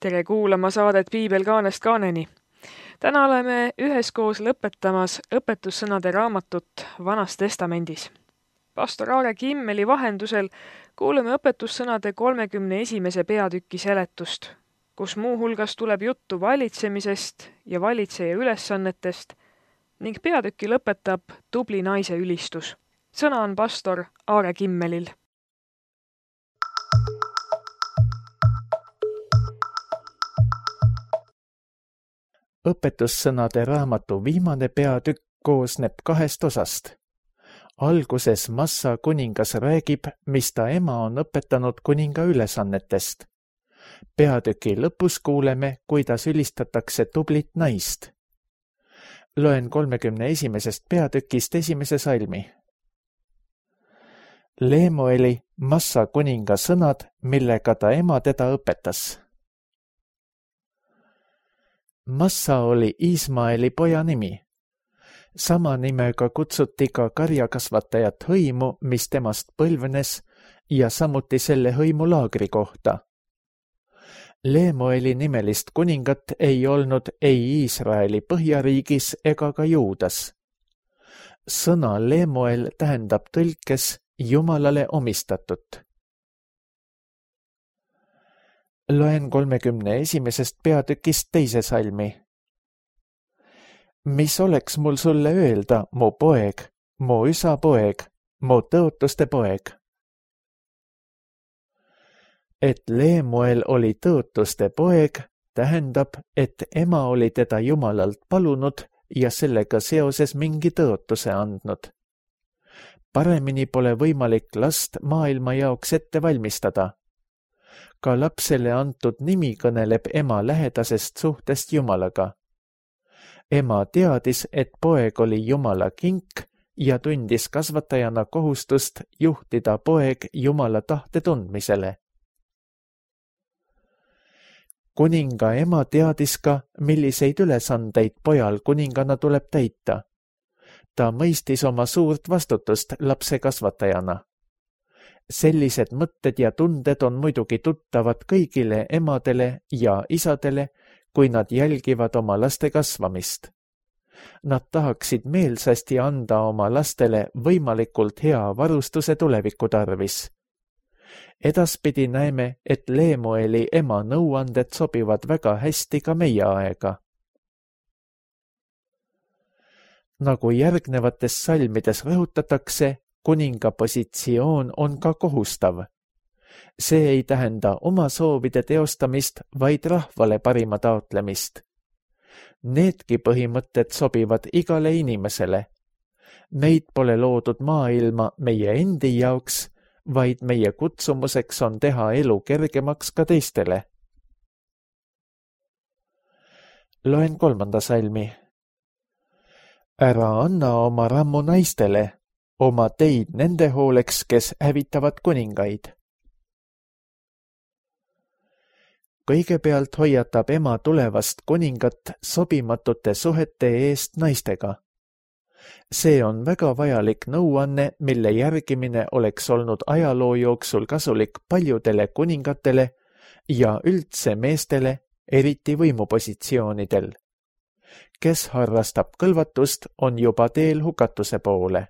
Tere kuulama saadet Piibel kaanest kaaneni. Täna oleme üheskoos lõpetamas õpetussõnade raamatut Vanas Testamendis. Pastor Aare Kimmeli vahendusel kuuleme õpetussõnade 31. peatüki seletust, kus muuhulgas tuleb juttu valitsemisest ja valitseja ülesannetest ning peatüki lõpetab tubli naise ülistus. Sõna on pastor Aare Kimmelil. Õpetussõnade raamatu viimane peatükk koosneb 2 osast. Alguses Massa kuningas räägib, mis ta ema on õpetanud kuninga ülesannetest. Peatüki lõpus kuuleme, kuidas ülistatakse tublit naist. Loen 31. peatükist 1. salmi. Leemueli Massa kuninga sõnad, millega ta ema teda õpetas. Massa oli Ismaeli poja nimi. Sama nimega kutsuti ka karjakasvatajat hõimu, mis temast põlvenes, ja samuti selle hõimu laagri kohta. Leemueli nimelist kuningat ei olnud ei Iisraeli põhjariigis ega ka Juudas. Sõna Leemuel tähendab tõlkes Jumalale omistatut. Loen 31. peatükist 2. salmi. Mis oleks mul sulle öelda, mu poeg, mu isa poeg, mu tõotuste poeg? Et Leemuel oli tõotuste poeg, tähendab, et ema oli teda Jumalalt palunud ja sellega seoses mingi tõotuse andnud. Paremini pole võimalik last maailma jaoks ette valmistada. Ka lapsele antud nimi kõneleb ema lähedasest suhtest Jumalaga. Ema teadis, et poeg oli Jumala kink ja tundis kasvatajana kohustust juhtida poeg Jumala tahte tundmisele. Kuninga ema teadis ka, milliseid ülesandeid pojal kuningana tuleb täita. Ta mõistis oma suurt vastutust lapse kasvatajana. Sellised mõtted ja tunded on muidugi tuttavad kõigile emadele ja isadele, kui nad jälgivad oma laste kasvamist. Nad tahaksid meelsasti anda oma lastele võimalikult hea varustuse tuleviku tarvis. Edaspidi näeme, et Leemueli ema nõuanded sobivad väga hästi ka meie aega. Nagu järgnevates salmides rõhutatakse, kuninga positsioon on ka kohustav. See ei tähenda oma soovide teostamist, vaid rahvale parima taotlemist. Needki põhimõtted sobivad igale inimesele. Meid pole loodud maailma meie endi jaoks, vaid meie kutsumuseks on teha elu kergemaks ka teistele. Loen 3. salmi. Ära anna oma rammu naistele, oma teid nende hooleks, kes hävitavad kuningaid. Kõigepealt hoiatab ema tulevast kuningat sobimatute suhete eest naistega. See on väga vajalik nõuanne, mille järgimine oleks olnud ajaloo jooksul kasulik paljudele kuningatele ja üldse meestele, eriti võimupositsioonidel. Kes harrastab kõlvatust, on juba teel hukatuse poole.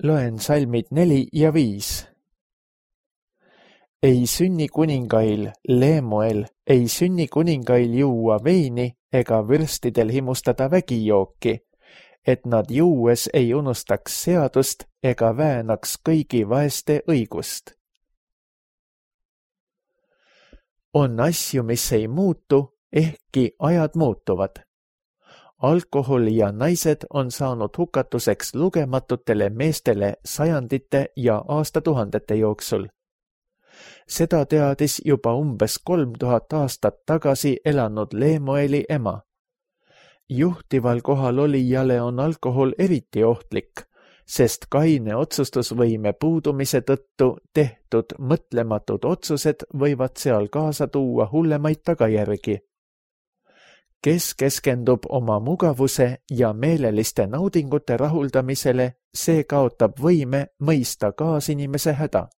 Loen salmid 4 ja 5. Ei sünni kuningail, Leemuel, ei sünni kuningail juua veini ega vürstidel himustada vägijooki, et nad juues ei unustaks seadust ega väänaks kõigi vaeste õigust. On asju, mis ei muutu, ehkki ajad muutuvad. Alkohol ja naised on saanud hukatuseks lugematutele meestele sajandite ja aastatuhandete jooksul. Seda teadis juba umbes 3000 aastat tagasi elanud Leemueli ema. Juhtival kohal olijale on alkohol eriti ohtlik, sest kaine otsustusvõime puudumise tõttu tehtud mõtlematud otsused võivad seal kaasa tuua hullemaid tagajärgi. Kes keskendub oma mugavuse ja meeleliste naudingute rahuldamisele, see kaotab võime mõista kaasinimese häda.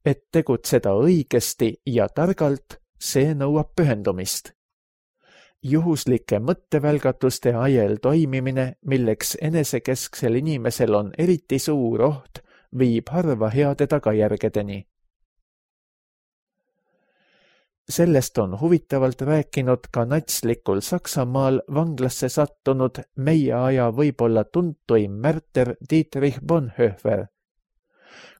Et tegutseda õigesti ja targalt, see nõuab pühendumist. Juhuslike mõttevälgatuste ajel toimimine, milleks enesekesksel inimesel on eriti suur oht, viib harva heade tagajärgedeni. Sellest on huvitavalt rääkinud ka natslikul Saksamaal vanglasse sattunud meie aja võib-olla tuntuim märter Dietrich Bonhoeffer.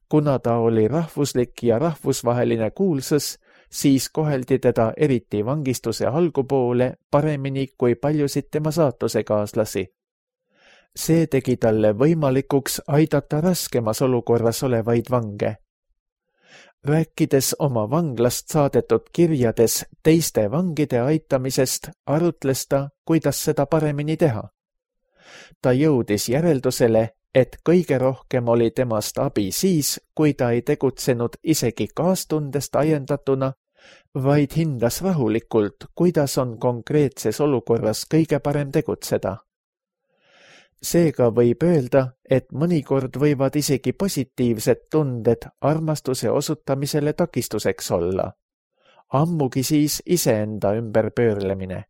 Kuna ta oli rahvuslik ja rahvusvaheline kuulsus, siis koheldi teda eriti vangistuse algupoole paremini kui paljusid tema saatusekaaslasi. See tegi talle võimalikuks aidata raskemas olukorras olevaid vange. Rääkides oma vanglast saadetud kirjades teiste vangide aitamisest, arutles ta, kuidas seda paremini teha. Ta jõudis järeldusele, et kõige rohkem oli temast abi siis, kui ta ei tegutsenud isegi kaastundest ajendatuna, vaid hindas rahulikult, kuidas on konkreetses olukorras kõige parem tegutseda. Seega võib öelda, et mõnikord võivad isegi positiivsed tunded armastuse osutamisele takistuseks olla. Ammugi siis iseenda ümberpöörlemine.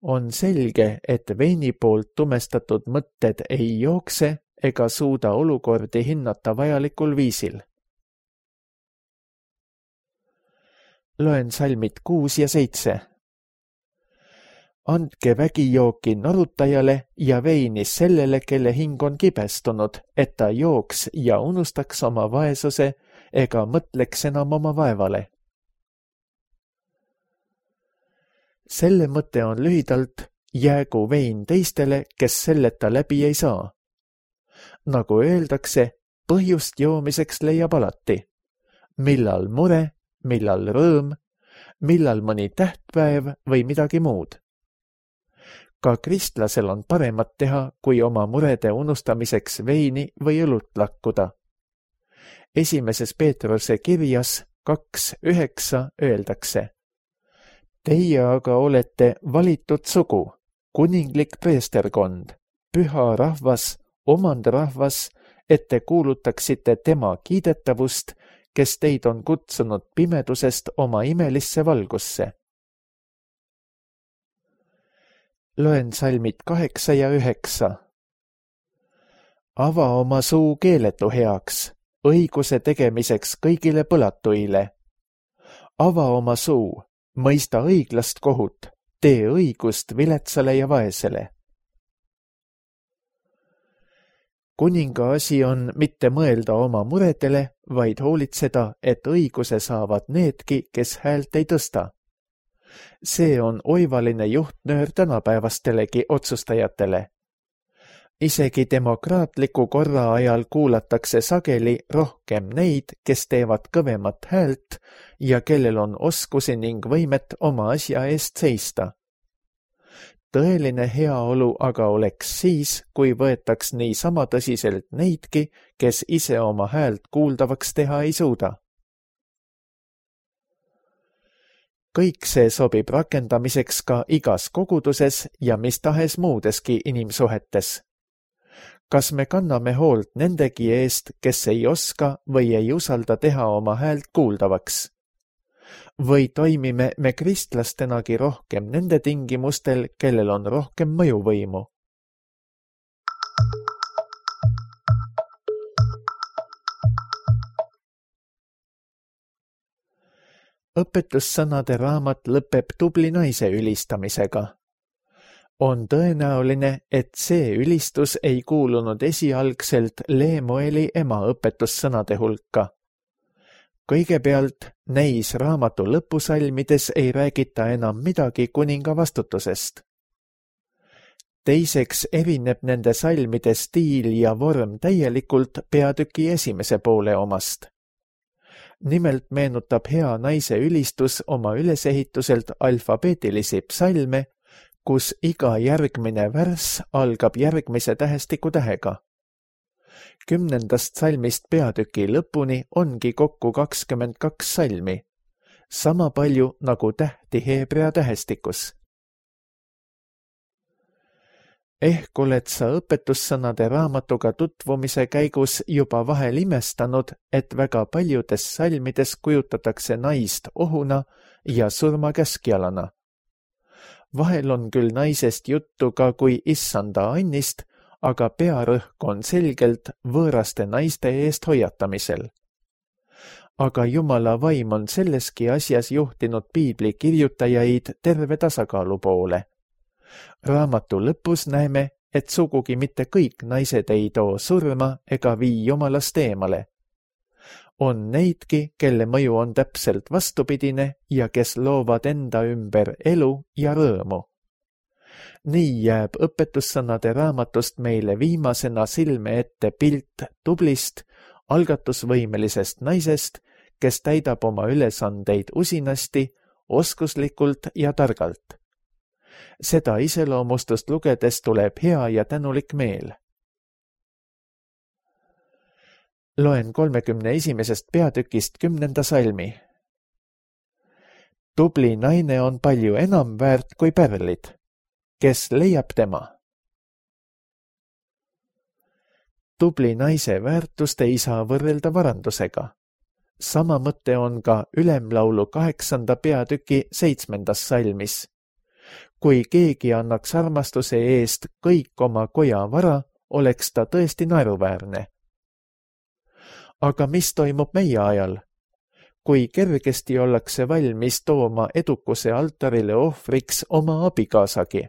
On selge, et veini poolt tumestatud mõtted ei jookse ega suuda olukordi hinnata vajalikul viisil. Loen salmid 6 ja 7. Andke vägijooki norutajale ja veini sellele, kelle hing on kibestunud, et ta jooks ja unustaks oma vaesuse ega mõtleks enam oma vaevale. Selle mõte on lühidalt, jäägu vein teistele, kes selleta läbi ei saa. Nagu öeldakse, põhjust joomiseks leiab alati. Millal mure, millal rõõm, millal mõni tähtpäev või midagi muud. Ka kristlasel on paremat teha, kui oma murede unustamiseks veini või õlut lakkuda. Esimeses Peetruse kirjas 2:9 öeldakse: Teie aga olete valitud sugu, kuninglik preesterkond, püha rahvas, omandrahvas, et te kuulutaksite tema kiidetavust, kes teid on kutsunud pimedusest oma imelisse valgusse. Loen salmid 8 ja 9. Ava oma suu keeletu heaks, õiguse tegemiseks kõigile põlatuile. Ava oma suu, mõista õiglast kohut, tee õigust viletsale ja vaesele. Kuninga asi on mitte mõelda oma muredele, vaid hoolitseda, et õiguse saavad needki, kes häält ei tõsta. See on oivaline juhtnöör tänapäevastelegi otsustajatele. Isegi demokraatliku korra ajal kuulatakse sageli rohkem neid, kes teevad kõvemat häält ja kellel on oskusi ning võimet oma asja eest seista. Tõeline heaolu aga oleks siis, kui võetaks nii sama tõsiselt neidki, kes ise oma häält kuuldavaks teha ei suuda. Kõik see sobib rakendamiseks ka igas koguduses ja mis tahes muudeski inimsuhetes. Kas me kanname hoolt nendegi eest, kes ei oska või ei usalda teha oma häält kuuldavaks? Või toimime me kristlastenagi rohkem nende tingimustel, kellel on rohkem mõjuvõimu? Õpetussõnade raamat lõpeb tubli naise ülistamisega. On tõenäoline, et see ülistus ei kuulunud esialgselt Leemueli ema õpetussõnade hulka. Kõigepealt, neis raamatu lõpusalmides ei räägita enam midagi kuninga vastutusest. Teiseks erineb nende salmide stiil ja vorm täielikult peatüki esimese poole omast. Nimelt meenutab hea naise ülistus oma ülesehituselt alfabeetilisi psalme, kus iga järgmine värss algab järgmise tähestiku tähega. 10. salmist peatüki lõpuni ongi kokku 22 salmi, sama palju nagu tähti heebrea tähestikus. Ehk oled sa õpetussõnade raamatuga tutvumise käigus juba vahel imestanud, et väga paljudes salmides kujutatakse naist ohuna ja surmakäskjalana. Vahel on küll naisest juttu ka kui issanda annist, aga pearõhk on selgelt võõraste naiste eest hoiatamisel. Aga Jumala vaim on selleski asjas juhtinud piibli kirjutajaid terve tasakaalu poole. Raamatu lõpus näeme, et sugugi mitte kõik naised ei too surma ega vii Jumalast eemale. On neidki, kelle mõju on täpselt vastupidine ja kes loovad enda ümber elu ja rõõmu. Nii jääb õpetussõnade raamatust meile viimasena silme ette pilt tublist, algatusvõimelisest naisest, kes täidab oma ülesandeid usinasti, oskuslikult ja targalt. Seda iseloomustust lugedes tuleb hea ja tänulik meel. Loen 31. peatükist 10. salmi. Tubli naine on palju enam väärt kui pärlid. Kes leiab tema? Tubli naise väärtust ei saa võrrelda varandusega. Sama mõte on ka Ülemlaulu 8. peatüki 7. salmis. Kui keegi annaks armastuse eest kõik oma koja vara, oleks ta tõesti naeruväärne. Aga mis toimub meie ajal? Kui kergesti ollakse valmis tooma edukuse altarile ohvriks oma abikaasagi?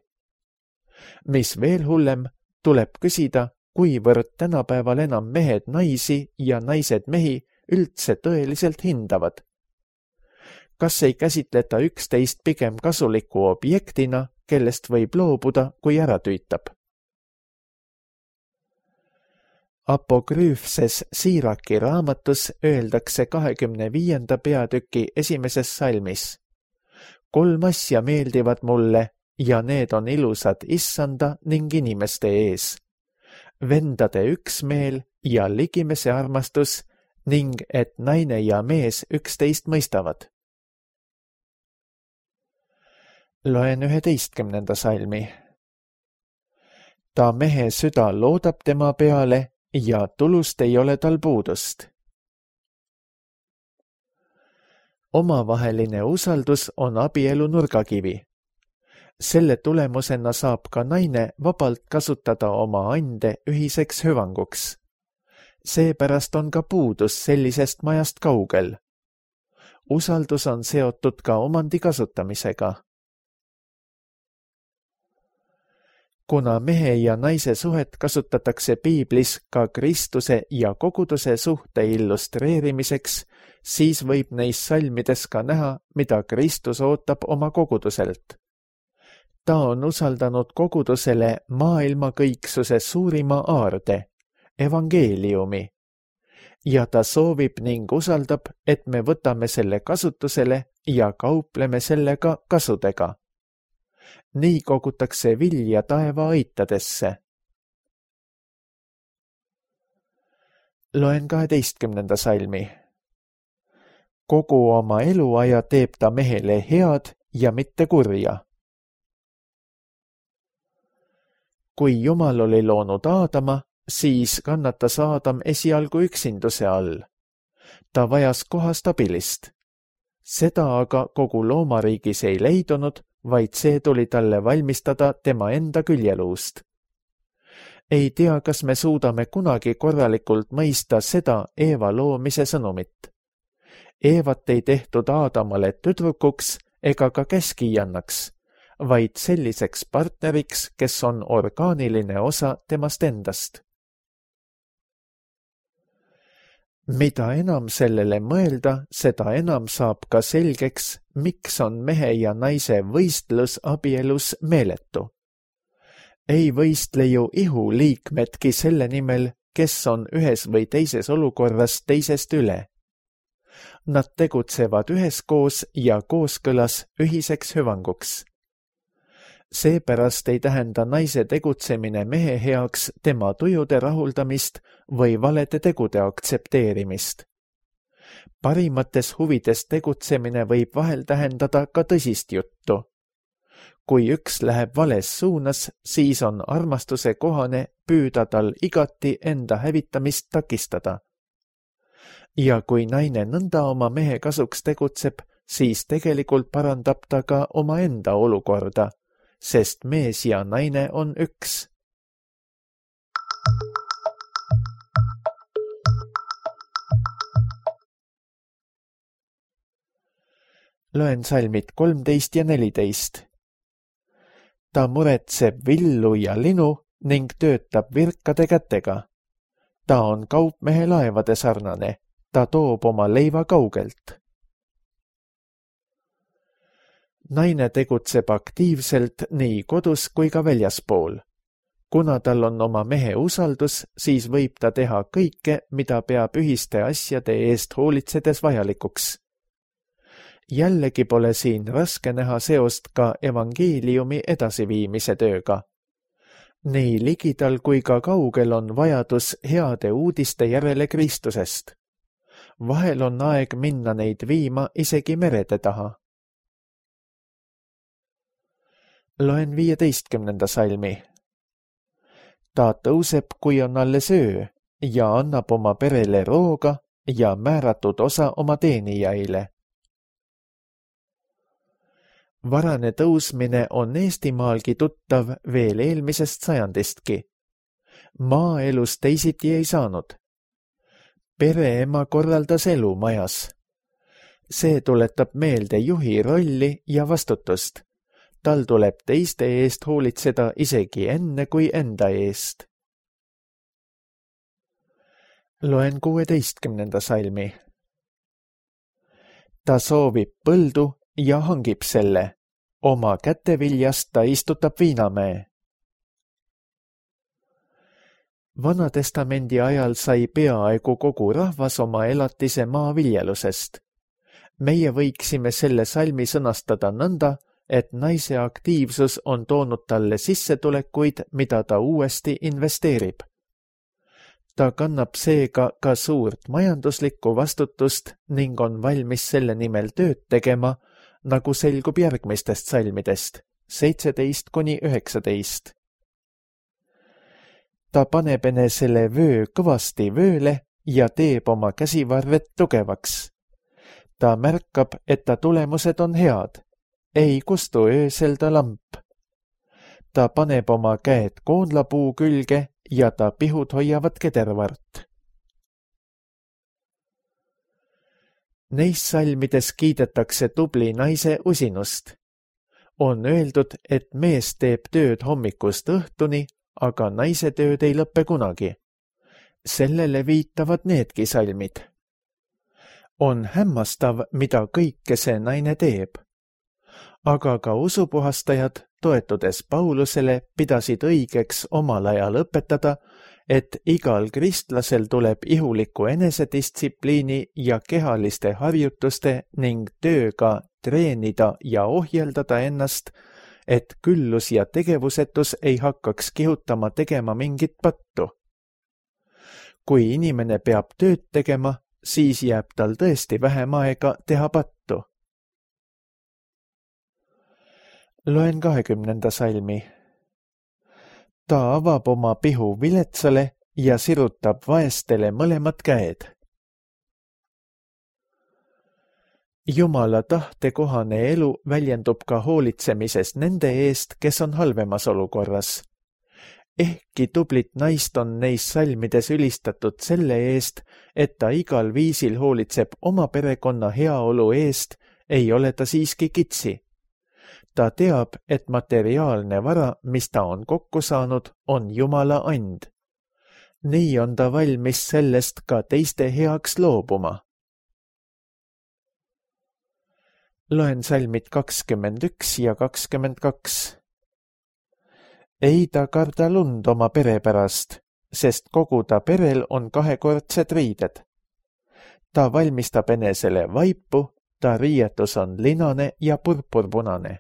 Mis veel hullem, tuleb küsida, kuivõrd tänapäeval enam mehed naisi ja naised mehi üldse tõeliselt hindavad. Kas ei käsitleta üksteist pigem kasuliku objektina, kellest võib loobuda, kui ära tüütab? Apokrüüfses Siiraki raamatus öeldakse 25. peatüki 1. salmis. 3 asja meeldivad mulle ja need on ilusad issanda ning inimeste ees. Vendade üksmeel ja ligimese armastus ning et naine ja mees üksteist mõistavad. Loen 11. salmi. Ta mehe süda loodab tema peale ja tulust ei ole tal puudust. Omavaheline usaldus on abielu nurgakivi. Selle tulemusena saab ka naine vabalt kasutada oma ande ühiseks hüvanguks. Seepärast on ka puudus sellisest majast kaugel. Usaldus on seotud ka omandi kasutamisega. Kuna mehe ja naise suhet kasutatakse piiblis ka Kristuse ja koguduse suhte illustreerimiseks, siis võib neis salmides ka näha, mida Kristus ootab oma koguduselt. Ta on usaldanud kogudusele maailma kõiksuse suurima aarde, evangeeliumi, ja ta soovib ning usaldab, et me võtame selle kasutusele ja kaupleme sellega kasudega. Nii kogutakse vilja taeva aitadesse. Loen 12. salmi. Kogu oma eluaja teeb ta mehele head ja mitte kurja. Kui Jumal oli loonud Aadama, siis kannatas Aadam esialgu üksinduse all. Ta vajas kohast abilist. Seda aga kogu loomariigis ei leidunud, vaid see tuli talle valmistada tema enda küljeluust. Ei tea, kas me suudame kunagi korralikult mõista seda Eeva loomise sõnumit. Eevat ei tehtud Aadamale tüdrukuks ega ka käskijannaks, vaid selliseks partneriks, kes on orgaaniline osa temast endast. Mida enam sellele mõelda, seda enam saab ka selgeks, miks on mehe ja naise võistlus abielus meeletu. Ei võistle ju ihuliikmedki selle nimel, kes on ühes või teises olukorras teisest üle. Nad tegutsevad üheskoos ja kooskõlas ühiseks hüvanguks. Seepärast ei tähenda naise tegutsemine mehe heaks tema tujude rahuldamist või valede tegude aktsepteerimist. Parimates huvides tegutsemine võib vahel tähendada ka tõsist juttu. kui üks läheb vales suunas, siis on armastuse kohane püüda tal igati enda hävitamist takistada. Ja kui naine nõnda oma mehe kasuks tegutseb, siis tegelikult parandab ta ka omaenda olukorda, sest mees ja naine on üks. Loen salmid 13 ja 14. Ta muretseb villu ja linu ning töötab virkade kätega. Ta on kaupmehe laevade sarnane, ta toob oma leiva kaugelt. Naine tegutseb aktiivselt nii kodus kui ka väljaspool. Kuna tal on oma mehe usaldus, siis võib ta teha kõike, mida peab ühiste asjade eest hoolitsedes vajalikuks. Jällegi pole siin raske näha seost ka evangeeliumi edasiviimise tööga. Nii ligidal kui ka kaugel on vajadus heade uudiste järele Kristusest. Vahel on aeg minna neid viima isegi merede taha. Loen 15. salmi. Ta tõuseb, kui on alles öö, ja annab oma perele rooga ja määratud osa oma teenijaile. Varane tõusmine on Eestimaalgi tuttav veel eelmisest sajandistki. Maaelus teisiti ei saanud. Pereema korraldas elu majas. See tuletab meelde juhi rolli ja vastutust. Tal tuleb teiste eest hoolitseda isegi enne kui enda eest. Loen 16. salmi. Ta soovib põldu ja hangib selle. Oma käteviljast ta istutab viinamäe. Vanatestamendi ajal sai peaaegu kogu rahvas oma elatise maaviljelusest. Meie võiksime selle salmi sõnastada nõnda, et naise aktiivsus on toonud talle sissetulekuid, mida ta uuesti investeerib. Ta kannab seega ka suurt majanduslikku vastutust ning on valmis selle nimel tööd tegema, nagu selgub järgmistest salmidest, 17–19. Ta paneb enesele vöö kõvasti vööle ja teeb oma käsivarred tugevaks. Ta märkab, et ta tulemused on head. Ei kustu öösel ta lamp. Ta paneb oma käed koonlapuu külge ja ta pihud hoiavad kedervart. Neis salmides kiidetakse tubli naise usinust. On öeldud, et mees teeb tööd hommikust õhtuni, aga naise tööd ei lõppe kunagi. Sellele viitavad needki salmid. On hämmastav, mida kõike see naine teeb. Aga ka usupuhastajad, toetudes Paulusele, pidasid õigeks omal ajal õpetada, et igal kristlasel tuleb ihuliku enesedistsipliini ja kehaliste harjutuste ning tööga treenida ja ohjeldada ennast, et küllus ja tegevusetus ei hakkaks kihutama tegema mingit pattu. Kui inimene peab tööd tegema, siis jääb tal tõesti vähem aega teha pattu. Loen 20. salmi. Ta avab oma pihu viletsale ja sirutab vaestele mõlemad käed. Jumala tahtekohane elu väljendub ka hoolitsemises nende eest, kes on halvemas olukorras. Ehkki tublit naist on neis salmides ülistatud selle eest, et ta igal viisil hoolitseb oma perekonna heaolu eest, ei ole ta siiski kitsi. Ta teab, et materiaalne vara, mis ta on kokku saanud, on Jumala and. Nii on ta valmis sellest ka teiste heaks loobuma. Loen salmid 21 ja 22. Ei ta karda lund oma pere pärast, sest kogu ta perel on kahekordsed riided. Ta valmistab enesele vaipu, ta riietus on linane ja purpurpunane.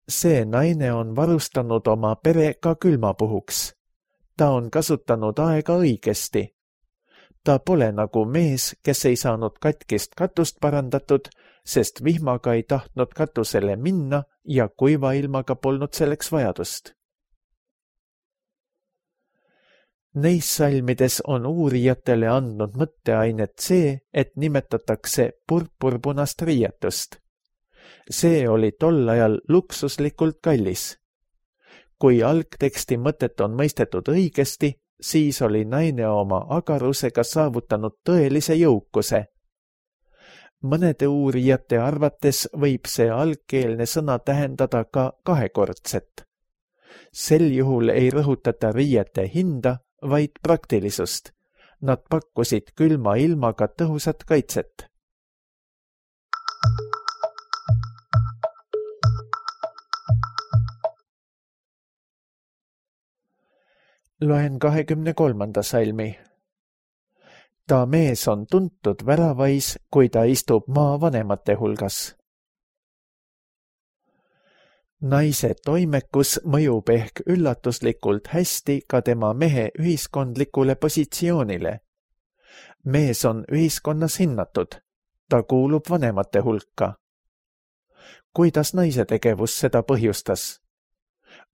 See naine on varustanud oma pere ka külmapuhuks. Ta on kasutanud aega õigesti. Ta pole nagu mees, kes ei saanud katkist katust parandatud, sest vihmaga ei tahtnud katusele minna ja kuiva ilmaga polnud selleks vajadust. Neis salmides on uurijatele andnud mõtteainet see, et nimetatakse purpurpunast riietust. See oli tol ajal luksuslikult kallis. Kui algteksti mõtet on mõistetud õigesti, siis oli naine oma agarusega saavutanud tõelise jõukuse. Mõnede uurijate arvates võib see algkeelne sõna tähendada ka kahekordset. Sel juhul ei rõhutata riiete hinda, vaid praktilisust. Nad pakkusid külma ilmaga tõhusat kaitset. Loen 23. salmi. Ta mees on tuntud väravais, kui ta istub maavanemate hulgas. Naise toimekus mõjub ehk üllatuslikult hästi ka tema mehe ühiskondlikule positsioonile. Mees on ühiskonnas hinnatud. Ta kuulub vanemate hulka. Kuidas naise tegevus seda põhjustas?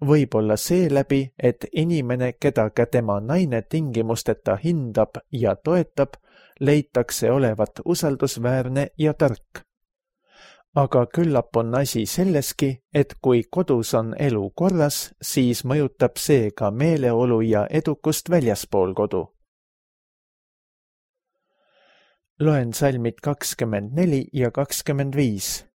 Võib-olla seeläbi, et inimene, keda ka tema naine tingimusteta hindab ja toetab, leitakse olevat usaldusväärne ja tark. Aga küllap on asi selleski, et kui kodus on elu korras, siis mõjutab see ka meeleolu ja edukust väljaspool kodu. Loen salmid 24 ja 25.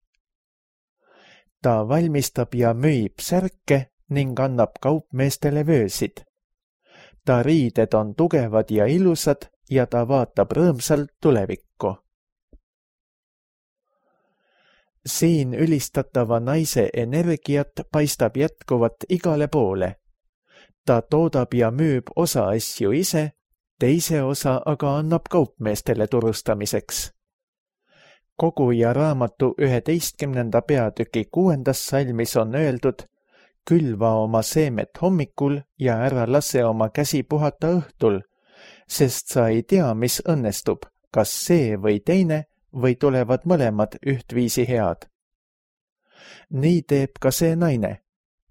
Ta valmistab ja müüb särke ning annab kaupmeestele vöösid. Ta riided on tugevad ja ilusad ja ta vaatab rõõmsalt tulevikku. Siin ülistatava naise energiat paistab jätkuvat igale poole. Ta toodab ja müüb osa asju ise, teise osa aga annab kaupmeestele turustamiseks. Koguja raamatu 11. peatüki 6. salmis on öeldud: külva oma seemet hommikul ja ära lase oma käsi puhata õhtul, sest sa ei tea, mis õnnestub, kas see või teine, või tulevad mõlemad ühtviisi head. Nii teeb ka see naine.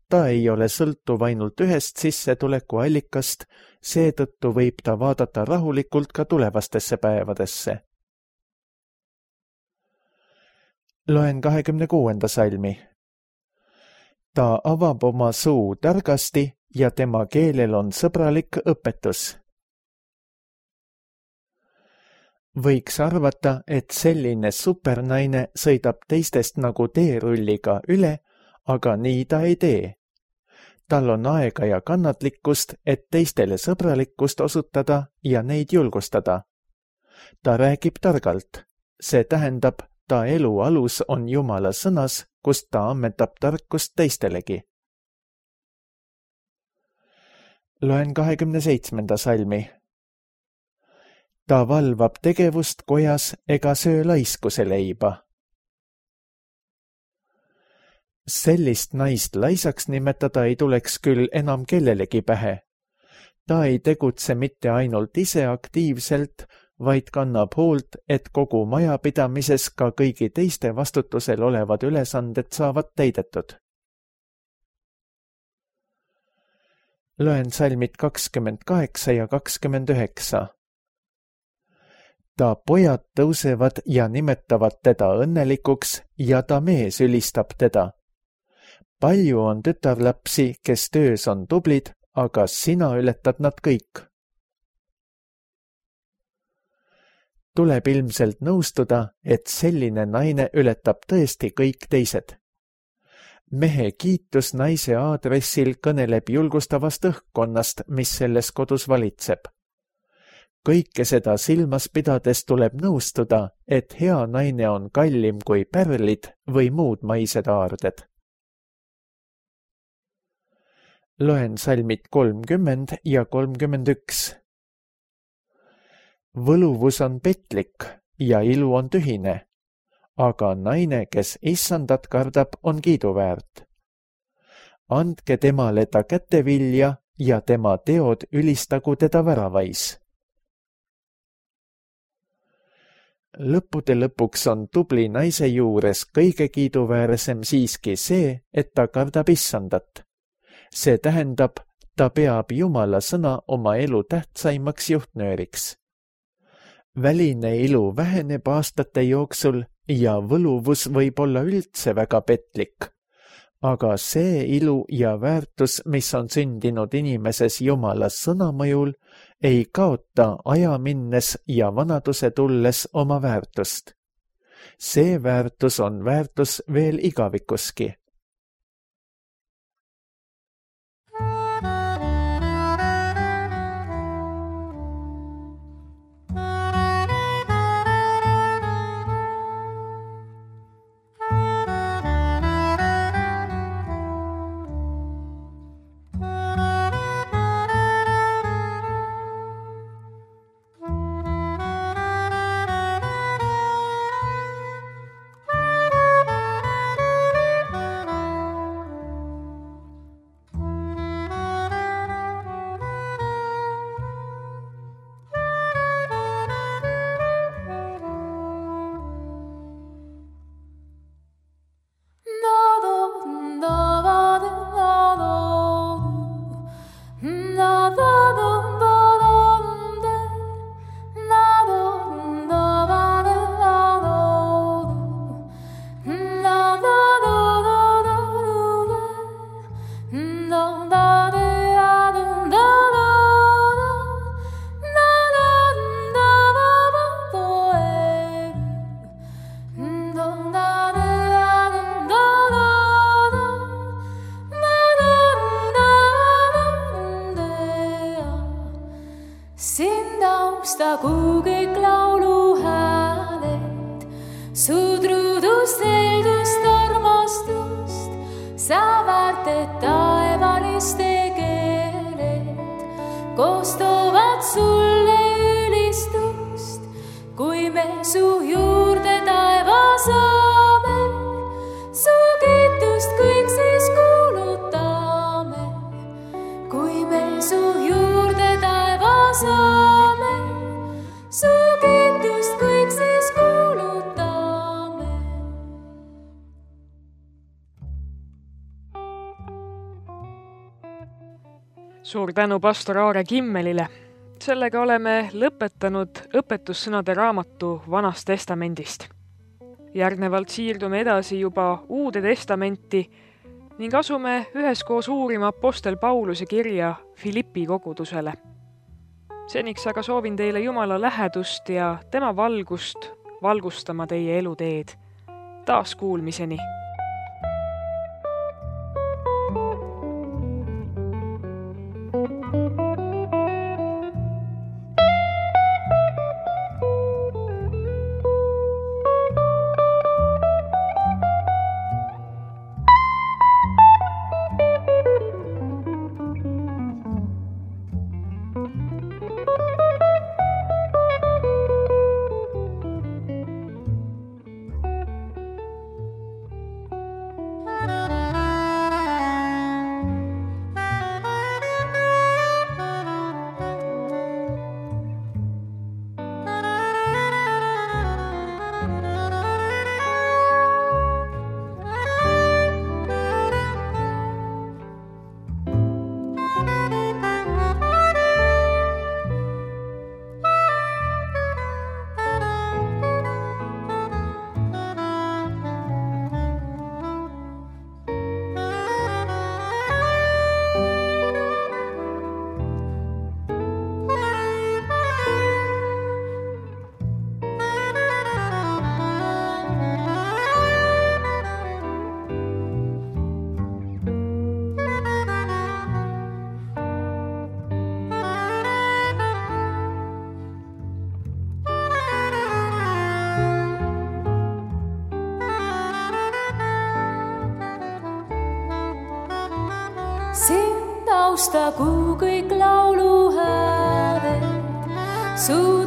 Ta ei ole sõltuv ainult ühest sissetulekuallikast, seetõttu võib ta vaadata rahulikult ka tulevastesse päevadesse. Loen 26. salmi. Ta avab oma suu targasti ja tema keelel on sõbralik õpetus. Võiks arvata, et selline supernaine sõidab teistest nagu teerulliga üle, aga nii ta ei tee. Tal on aega ja kannatlikkust, et teistele sõbralikkust osutada ja neid julgustada. Ta räägib targalt. See tähendab, ta elu alus on Jumala sõnas, kust ta ammendab tarkust teistelegi. Loen 27. salmi. Ta valvab tegevust kojas ega söö laiskuse leiba. Sellist naist laisaks nimetada ei tuleks küll enam kellelegi pähe. Ta ei tegutse mitte ainult ise aktiivselt, vaid kannab hoolt, et kogu majapidamises ka kõigi teiste vastutusel olevad ülesanded saavad täidetud. Loen salmid 28 ja 29. Ta pojad tõusevad ja nimetavad teda õnnelikuks ja ta mees ülistab teda. Palju on tütarlapsi, kes töös on tublid, aga sina ületad nad kõik. Tuleb ilmselt nõustuda, et selline naine ületab tõesti kõik teised. Mehe kiitus naise aadressil kõneleb julgustavast õhkkonnast, mis selles kodus valitseb. Kõike seda silmas pidades tuleb nõustuda, et hea naine on kallim kui pärlid või muud maised aarded. Loen salmid 30 ja 31. Võluvus on petlik ja ilu on tühine, aga naine, kes issandat kardab, on kiiduväärt. Andke temale ta kätevilja ja tema teod ülistagu teda väravais. Lõppude lõpuks on tubli naise juures kõige kiiduväärsem siiski see, et ta kardab issandat. See tähendab, ta peab Jumala sõna oma elu tähtsaimaks juhtnööriks. Väline ilu väheneb aastate jooksul ja võluvus võib olla üldse väga petlik. Aga see ilu ja väärtus, mis on sündinud inimeses Jumala sõna mõjul, ei kaota aja minnes ja vanaduse tulles oma väärtust. See väärtus on väärtus veel igavikuski. Sind austagu kõik lauluhääled, su truudust, heldust, armastust, sa väärted taevaliste keeled, koostavad sulle ülistust, kui me su juurde taeva saame, su kiitust kõik siis kuulutame, kui me su juurde taeva saame, su kiitust kõik siis kuulutame. Suur tänu pastor Aare Kimmelile. Sellega oleme lõpetanud õpetussõnade raamatu Vanast testamendist. Järgnevalt siirdume edasi juba Uude testamenti ning asume üheskoos uurima apostel Pauluse kirja Filippi kogudusele. Seniks aga soovin teile Jumala lähedust ja tema valgust valgustama teie eluteed. Taas kuulmiseni! Sind austagu kõik lauluhääled, su